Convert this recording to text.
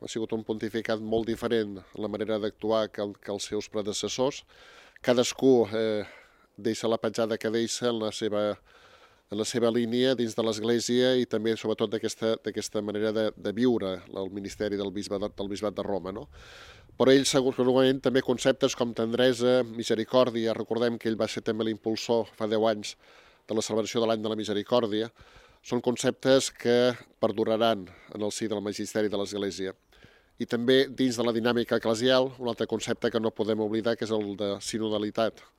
ha sigut un pontificat molt diferent en la manera d'actuar que els seus predecessors. Cadascú deixa la petjada que deixa en la seva línia dins de l'Església i també, sobretot, d'aquesta manera de viure el ministeri del bisbat de Roma, no? Però ell segurament també conceptes com tendresa, misericòrdia, recordem que ell va ser també l'impulsor fa 10 anys de la celebració de l'any de la misericòrdia, són conceptes que perduraran en el si del magisteri de l'Església. I també dins de la dinàmica eclesial, un altre concepte que no podem oblidar, que és el de sinodalitat.